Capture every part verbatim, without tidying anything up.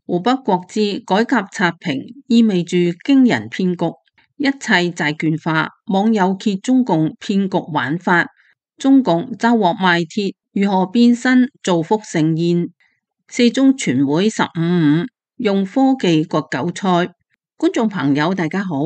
湖北國資改革刷屏意味住驚人騙局，一切債券化。網友揭中共騙局玩法，中共抓獲賣鐵，如何變身造福盛宴？四中全會十五五用科技割韭菜。觀眾朋友大家好，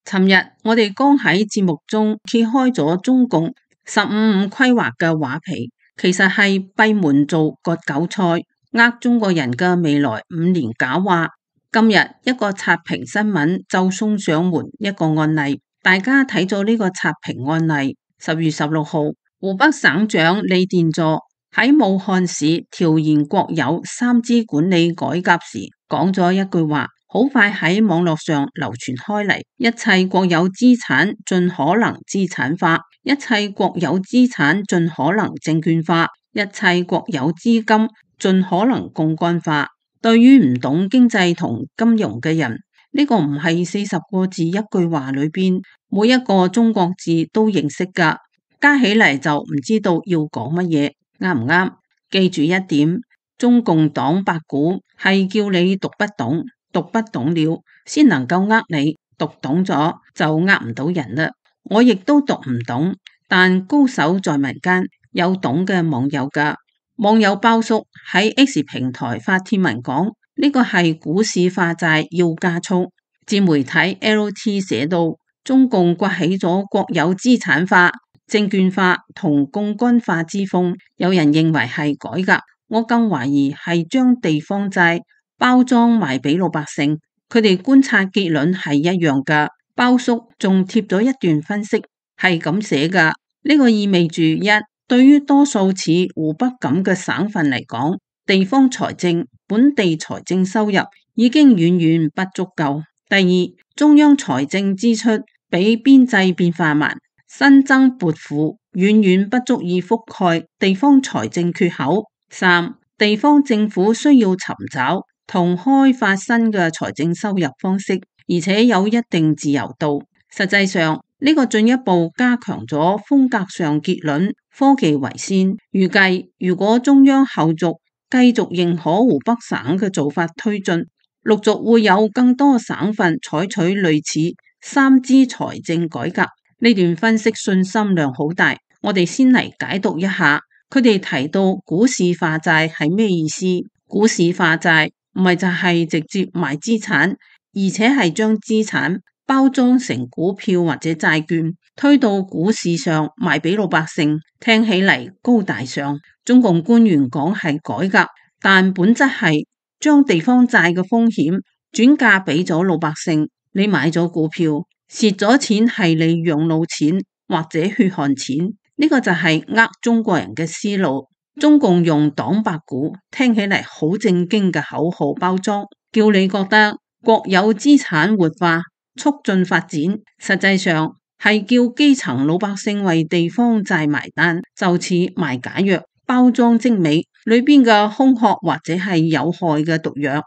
尋日我哋剛喺節目中揭開咗中共十五五規劃嘅畫皮，其實係閉門做割韭菜，呃中國人嘅未來五年假話。今日一個刷屏新聞就送上門一個案例，大家睇咗呢個刷屏案例。十月十六號，湖北省長李殿座喺武漢市調研國有三資管理改革時講咗一句話，好快喺網絡上流傳開嚟：一切國有資產盡可能資產化，一切國有資產盡可能證券化，一切國有資金盡可能槓桿化。對於唔懂經濟同金融嘅人，呢個唔係四十個字一句話裏邊每一個中國字都認識噶，加起嚟就唔知道要講乜嘢，啱唔啱？記住一點，中共黨八股係叫你讀不懂，讀不懂了先能夠呃你，讀懂咗就呃唔到人啦。我亦都讀唔懂，但高手在民間，有懂嘅網友噶。網友包叔喺 X 平台發帖文講，呢個係股市化債要加速。自媒體 L T 寫到，中共刮起咗國有資產化、證券化同槓桿化之風，有人認為係改革，我更懷疑係將地方債包裝賣俾老百姓。佢哋觀察結論係一樣噶。包叔仲貼咗一段分析，係咁寫噶，呢個意味住一，對於多數似湖北咁嘅省份嚟講，地方財政、本地財政收入已經遠遠不足夠。第二，中央財政支出比邊際變化慢，新增撥付遠遠不足以覆蓋地方財政缺口。三，地方政府需要尋找同開發新嘅財政收入方式，而且有一定自由度。實際上，呢個進一步加強咗風格上結論，科技為先。預計如果中央後續繼續認可湖北省嘅做法推進，陸續會有更多省份採取類似三資財政改革。呢段分析信心量好大，我哋先嚟解讀一下。佢哋提到股市化債係咩意思？股市化債唔係就係直接賣資產，而且係將資產包裝成股票或者債券，推到股市上賣俾老百姓。聽起嚟高大上，中共官員講係改革，但本質係將地方債嘅風險轉嫁俾咗老百姓。你買咗股票，蝕咗錢係你養老錢或者血汗錢，呢個就係呃中國人嘅思路。中共用黨八股聽起嚟好正經嘅口號包裝，叫你覺得國有資產活化促進發展，實際上係叫基層老百姓為地方債埋單，就似賣假藥，包裝精美，裏邊嘅空殼或者係有害嘅毒藥。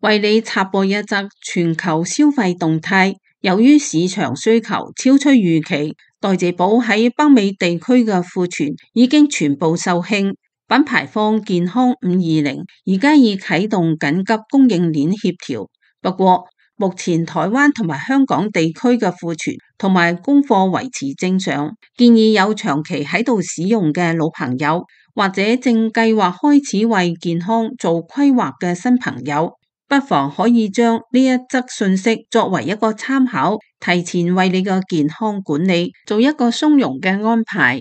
為你插播一則全球消費動態，由於市場需求超出預期，代謝寶喺北美地區嘅庫存已經全部售罄。品牌方健康五二零而家已啟動緊急供應鏈協調，不過目前台灣同埋香港地區嘅庫存同埋供貨維持正常，建議有長期喺度使用嘅老朋友，或者正計劃開始為健康做規劃嘅新朋友，不妨可以將呢一則信息作為一個參考，提前為你嘅健康管理做一個鬆容嘅安排。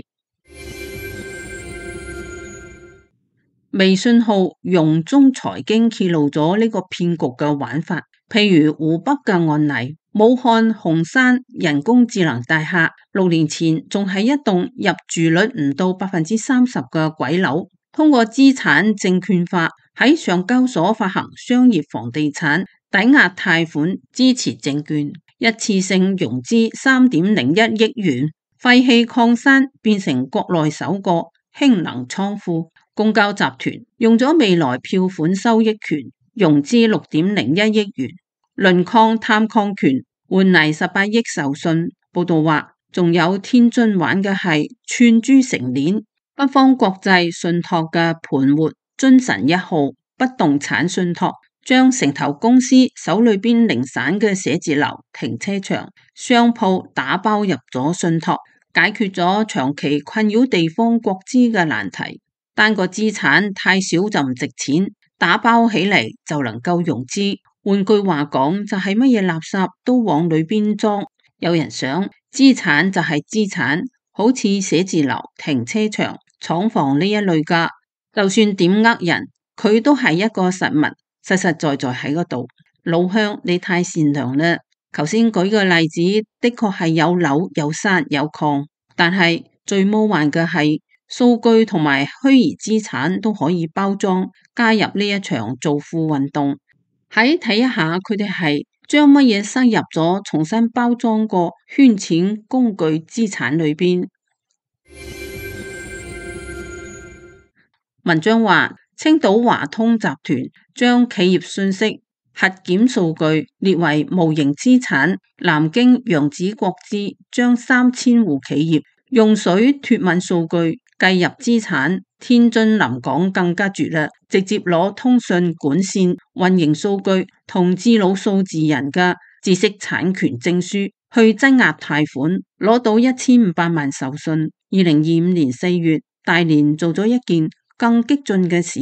微信號容中財經揭露咗呢個騙局嘅玩法，譬如湖北嘅案例，武漢紅山人工智能大廈六年前仲係一棟入住率唔到百分之三十嘅鬼樓，通過資產證券化喺上交所發行商業房地產抵押貸款支持證券，一次性融資三點零一億元，廢棄礦山變成國內首個氫能倉庫。公交集團用咗未來票款收益權融資六點零一億元，輪礦探礦權換嚟十八億授信。報道話，仲有天津玩嘅係串珠成鏈，北方國際信託嘅盤活遵神一號不動產信託，將城投公司手裏邊零散嘅寫字樓、停車場、商鋪打包入咗信託，解決咗長期困擾地方國資嘅難題。單個資產太少就唔值錢，打包起嚟就能夠融資。換句話講，就係乜嘢垃圾都往裏邊裝。有人想資產就係資產，好似寫字樓、停車場、廠房呢一類噶，就算點呃人，佢都係一個實物，實實在在喺嗰度。老鄉，你太善良啦。頭先舉個例子，的確係有樓有山有礦，但係最魔幻嘅係數據同埋虛擬資產都可以包裝加入呢一場造富運動。喺睇一下佢哋係將乜嘢塞入咗重新包裝過圈錢工具資產裏邊。文章話，青島華通集團將企業信息核檢數據列為無形資產。南京揚子國資將三千戶企業用水脫敏數據計入資產。天津臨港更加絕啦，直接攞通訊管線運營數據同智腦數字人嘅知識產權證書去質押貸款，攞到一千五百萬授信。二零二五年四月，大連做咗一件更激進嘅事，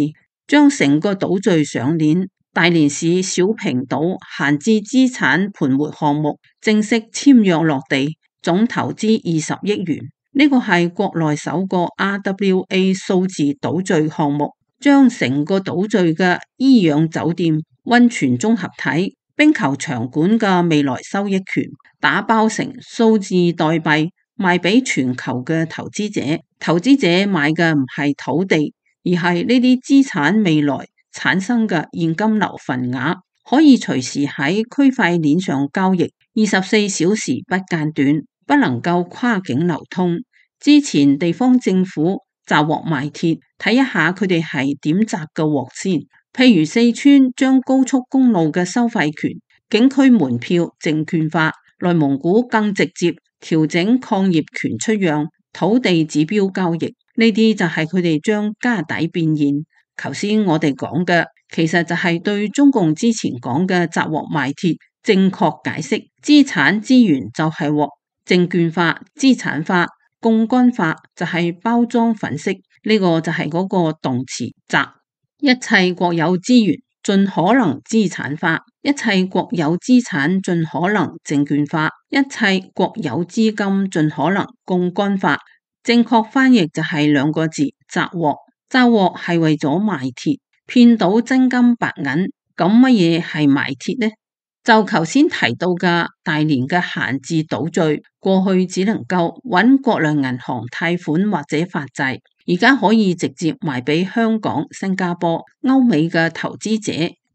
將成個島嶼上鏈。大連市小平島閒置資產盤活項目正式簽約落地，總投資二十億元。呢個係國內首個 R W A 數字島嶼項目，將成個島嶼嘅醫養酒店、溫泉綜合體、冰球場館嘅未來收益權打包成數字代幣賣俾全球嘅投資者。投資者買嘅唔係土地，而係呢啲資產未來產生嘅現金流份額，可以隨時喺區塊鏈上交易，二十四小時不間斷，不能夠跨境流通。之前地方政府砸鑊賣鐵，睇一下佢哋係點砸嘅鑊先。譬如四川將高速公路嘅收費權、景區門票證券化，內蒙古更直接調整礦業權出讓、土地指標交易，呢啲就係佢哋將家底變現。頭先我哋講嘅，其實就係對中共之前講嘅砸鑊賣鐵正確解釋。資產資源就係鑊，證券化、資產化、槓桿化就係包裝粉飾，呢個就係嗰個動詞砸。一切國有資源盡可能資產化，一切國有資產盡可能證券化，一切國有資金盡可能槓桿化。正確翻譯就係兩個字：砸鑊。砸鑊係為咗賣鐵，騙到真金白銀。咁乜嘢係賣鐵呢？就頭先提到嘅大連嘅閒置島嶼，過去只能夠揾國內銀行貸款或者發債，而家可以直接賣俾香港、新加坡、歐美嘅投資者。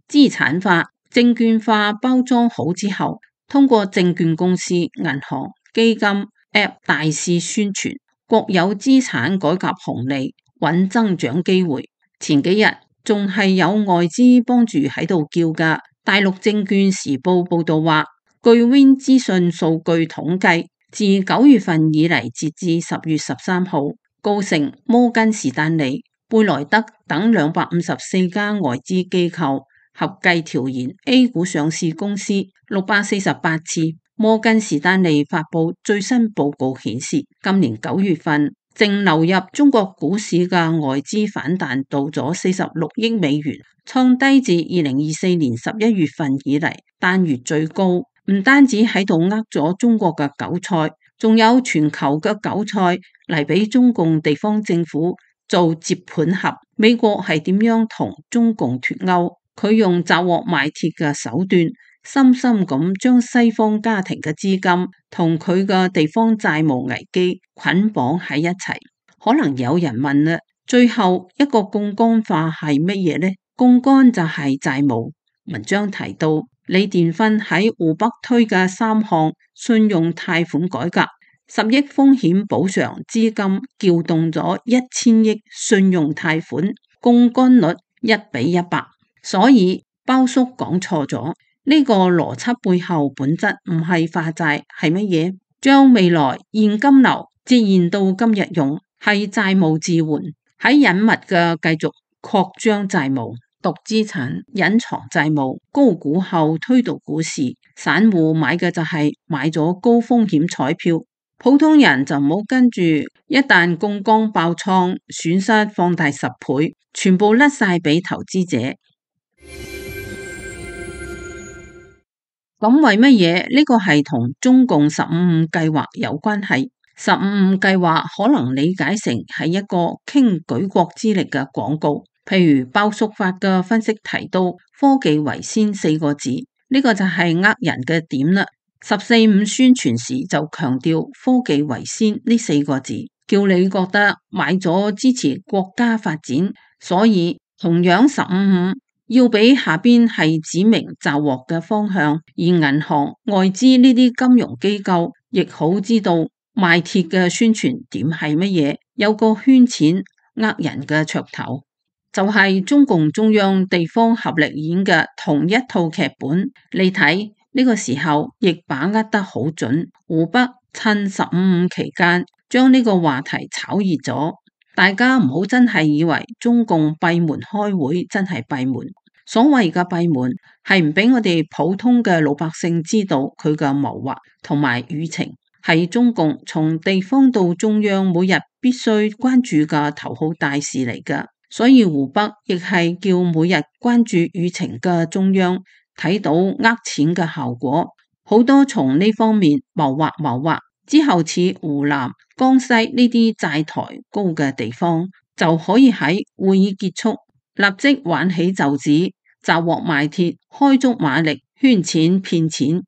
資產化、證券化包裝好之後，通過證券公司、銀行、基金、App 大肆宣傳國有資產改革紅利，揾增長機會。前幾日仲係有外資幫住喺度叫㗎。大陸證券時報報道話，據 Win 資訊數據統計，自九月份以嚟，截至十月十三號，高盛、摩根士丹利、貝萊德等兩百五十四家外資機構合計調研 A 股上市公司六百四十八次。摩根士丹利發佈最新報告顯示，今年九月份淨流入中國股市嘅外資反彈到咗四十六億美元，創低自二零二四年十一月份以嚟單月最高。唔單止喺度呃咗中國嘅韭菜，仲有全球嘅韭菜嚟俾中共地方政府做接盤俠。美國係點樣同中共脫鈎？佢用砸鑊賣鐵嘅手段，深深咁將西方家庭嘅資金同佢嘅地方債務危機捆綁喺一齊。可能有人問啦，最後一個槓桿化係乜嘢呢？槓桿就係債務。文章提到，李殿芬喺湖北推嘅三項信用貸款改革，十億風險補償資金撬動咗一千億信用貸款，槓桿率一比一百。所以包叔講錯咗，呢個邏輯背後本質唔係化債，係乜嘢？將未來現金流折現到今日用，係債務置換，喺隱密嘅繼續擴張債務、讀資產、隱藏債務、高估後推動股市。散戶買嘅就係買咗高風險彩票，普通人就唔好跟住，一旦槓桿爆倉，損失放大十倍，全部甩晒俾投資者。咁為乜嘢呢個係同中共十五五計劃有關係？十五五計劃可能理解成係一個傾舉國之力嘅廣告，譬如鮑叔發嘅分析提到科技為先四個字，呢個就係呃人嘅點啦。十四五宣傳時就強調科技為先呢四個字，叫你覺得買咗支持國家發展。所以同樣十五五要俾下邊係指明抓獲嘅方向，而銀行、外資呢啲金融機構亦好知道賣鐵嘅宣傳點係乜嘢，有個圈錢呃人嘅噱頭，就係、是、中共中央地方合力演嘅同一套劇本。你睇呢個時候亦把握得好準，湖北趁十五五期間將呢個話題炒熱咗，大家唔好真係以為中共閉門開會，真係閉門。所謂嘅閉門係唔俾我哋普通嘅老百姓知道佢嘅謀劃同埋輿情，係中共從地方到中央每日必須關注嘅頭號大事嚟㗎。所以湖北亦係叫每日關注輿情嘅中央睇到呃錢嘅效果，好多從呢方面謀劃謀劃之後，似湖南、江西呢啲債台高嘅地方，就可以喺會議結束立即挽起袖子，抓獲賣鐵，開足馬力圈錢騙錢。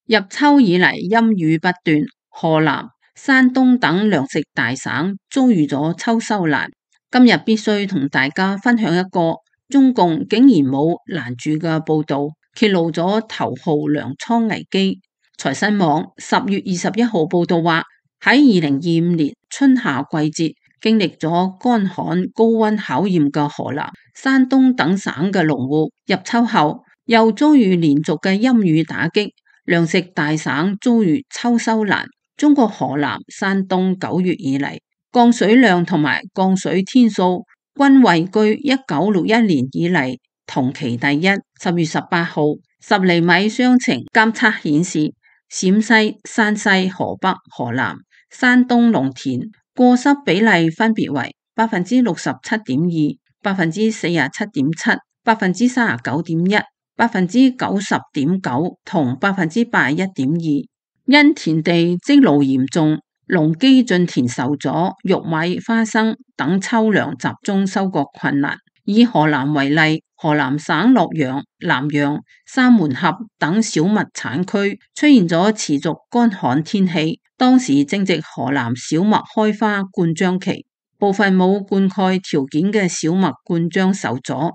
入秋以嚟陰雨不斷，河南、山東等糧食大省遭遇咗秋收難。今日必須同大家分享一個中共竟然冇攔住嘅報道，揭露咗頭號糧倉危機。財新網十月二十一號報道話，喺二零二五年春夏季節經歷咗乾旱高溫考驗嘅河南、山東等省嘅農戶，入秋後又遭遇連續嘅陰雨打擊，糧食大省遭遇秋收難。中國河南、山東九月以嚟降水量同埋降水天數均位居一九六一年以嚟同期第一。十月十八號十厘米霜情監測顯示，陝西、山西、河北、河南、山東農田過濕比例分別為百分之六十七點二、百分之四十七點七、百分之三十九點一、百分之九十點九同百分之八十一點二。因田地積澇嚴重，農機進田受阻，玉米、花生等秋糧集中收割困難。以河南為例，河南省洛陽、南陽、三門峽等小麥產區出現咗持續乾旱天氣，當時正值河南小麥開花灌漿期，部分冇灌溉條件嘅小麥灌漿受阻。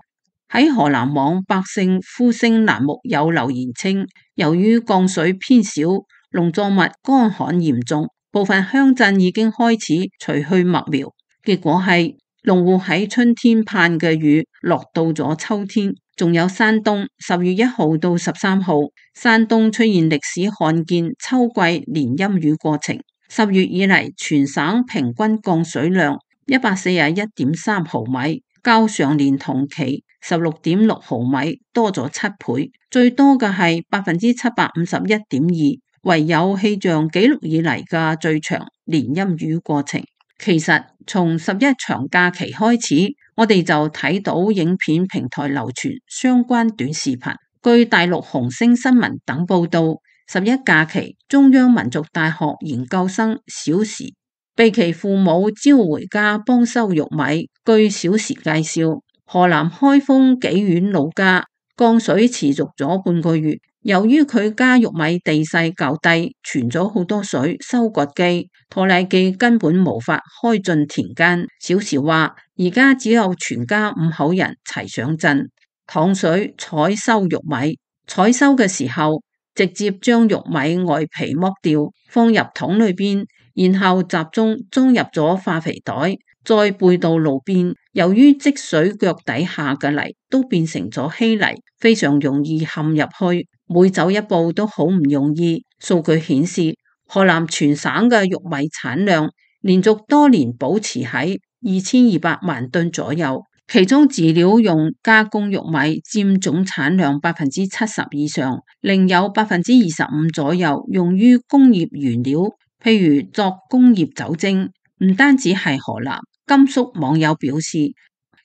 喺河南網百姓呼聲欄目有留言稱，由於降水偏少，農作物乾旱嚴重，部分鄉鎮已經開始除去麥苗，結果係農戶喺春天盼嘅雨落到咗秋天。仲有山東十月一號到十三號，山東出現歷史罕見秋季連陰雨過程，十月以嚟全省平均降水量一百四十一點三毫米，較上年同期十六點六毫米多咗七倍，最多嘅係百分之七百五十一點二。唯有氣象紀錄以嚟嘅最長連陰雨過程。其實從十一長假期開始，我哋就睇到影片平台流傳相關短視頻。據大陸紅星新聞等報道，十一假期中央民族大學研究生小時被其父母召回家幫收玉米。據小時介紹，河南開封紀縣老家降水持續咗半個月。由於佢家玉米地勢較低，存咗好多水，收割機、拖拉機根本無法開進田間。小時話，而家只有全家五口人齊上陣淌水採收玉米。採收嘅時候，直接將玉米外皮剝掉，放入桶裏邊，然後集中裝入咗化肥袋，再背到路邊。由於積水腳底下嘅泥都變成咗稀泥，非常容易陷入去。每走一步都好唔容易。數據顯示，河南全省嘅玉米產量連續多年保持喺二千二百萬噸左右，其中飼料用加工玉米佔總產量百分之七十以上，另有百分之二十五左右用於工業原料，譬如作工業酒精。唔單止係河南，甘肅網友表示，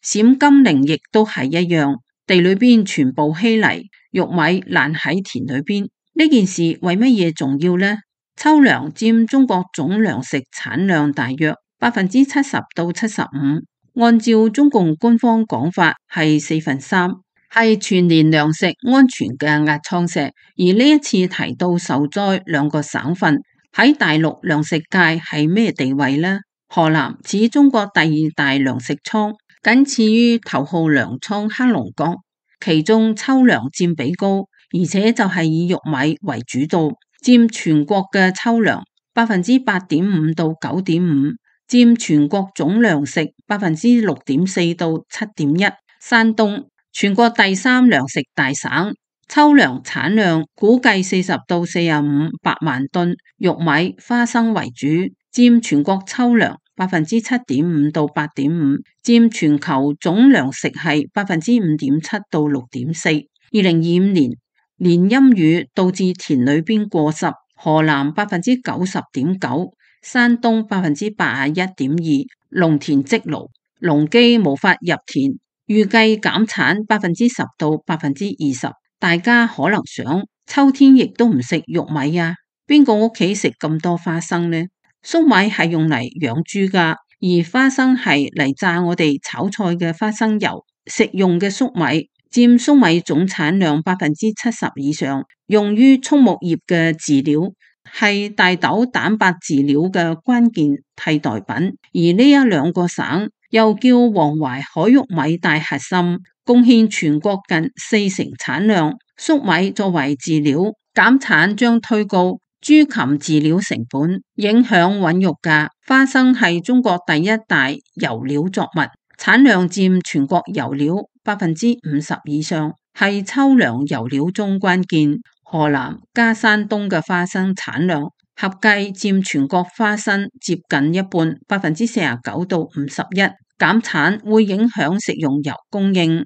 陝甘寧亦都係一樣，地裏邊全部稀泥，玉米爛喺田裏邊。呢件事為乜嘢重要呢？秋糧佔中國總糧食產量大約百分之七十到七十五，按照中共官方講法係四分三，係全年糧食安全嘅壓艙石。而呢一次提到受災兩個省份喺大陸糧食界係咩地位呢？河南似中國第二大糧食倉，僅次於頭號糧倉黑龍江，其中秋糧佔比高，而且就係以玉米為主導，佔全國嘅秋糧百分之八點五到九點五，佔全國總糧食百分之六點四到七點一。山東全國第三糧食大省，秋糧產量估計四十到四十五百萬噸，玉米、花生為主，佔全國秋糧百分之七點五到八點五，佔全球總糧食係百分之五點七到六點四。二零二五年連陰雨導致田裏邊過濕，河南百分之九十點九，山東百分之八十一點二，農田積澇，農機無法入田，預計減產百分之十到百分之二十。大家可能想，秋天亦都唔食玉米啊？邊個屋企食咁多花生呢？粟米係用嚟養豬噶，而花生係嚟榨我哋炒菜嘅花生油。食用嘅粟米佔粟米總產量百分之七十以上，用於畜牧業嘅飼料，係大豆蛋白飼料嘅關鍵替代品。而呢一兩個省又叫黃淮海玉米大核心，貢獻全國近四成產量。粟米作為飼料，減產將推高豬禽飼料成本，影響穩肉價。花生係中國第一大油料作物，產量佔全國油料百分之五十以上，係秋糧油料中關鍵。河南加山東嘅花生產量合計佔全國花生接近一半，百分之四十九到五十一。減產會影響食用油供應。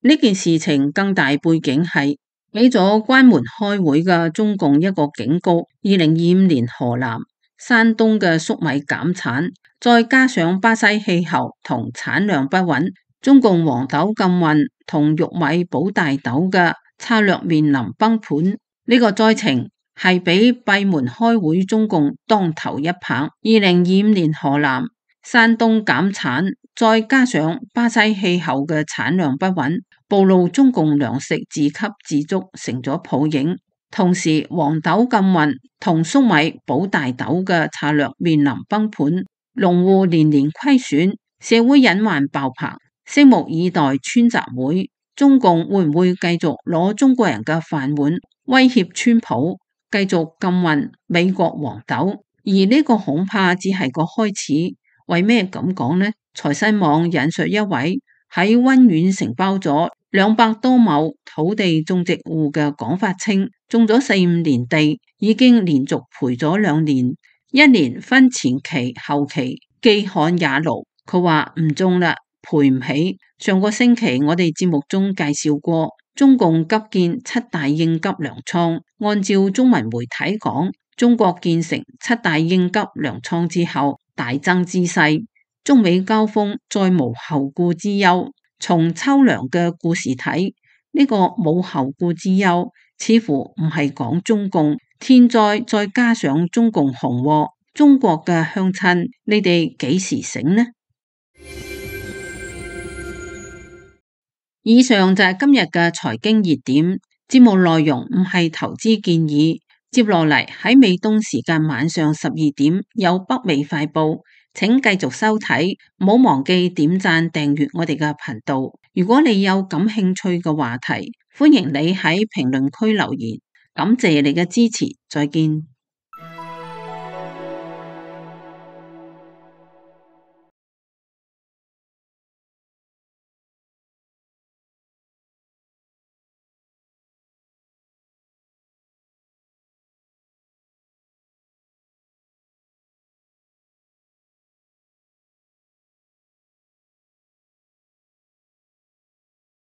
呢件事情更大背景係俾咗關門開會嘅中共一個警告。二零二五年河南、山東嘅粟米減產，再加上巴西氣候同產量不穩，中共黃豆禁運同玉米保大豆嘅策略面臨崩盤。呢、這個災情係俾閉門開會中共當頭一棒。二零二五年河南、山東減產，再加上巴西氣候嘅產量不穩，暴露中共糧食自給自足成咗泡影。同時黃豆禁運同粟米保大豆嘅策略面臨崩盤，農戶年年虧損，社會隱患爆棚。拭目以待川習會，中共會唔會繼續攞中國人嘅飯碗威脅川普，繼續禁運美國黃豆？而呢個恐怕只係個開始。為咩咁講呢？財新網引述一位喺溫縣承包咗兩百多畝土地種植戶嘅講法稱，種咗四五年地，已經連續賠咗兩年，一年分前期後期，既旱也澇。佢話唔種啦，賠唔起。上個星期我哋節目中介紹過，中共急建七大應急糧倉。按照中文媒體講，中國建成七大應急糧倉之後，大增之勢，中美交鋒再無後顧之憂。從秋糧嘅故事睇，呢個冇後顧之憂，似乎唔係講中共天災，再加上中共紅禍，中國嘅鄉親，你哋幾時醒呢？以上就係今日嘅財經熱點，節目內容唔係投資建議。接落嚟喺美東時間晚上十二點有北美快報，請繼續收睇，唔好忘記點讚訂閱我哋嘅頻道。如果你有感興趣嘅話題，歡迎你喺評論區留言。感謝你嘅支持，再見。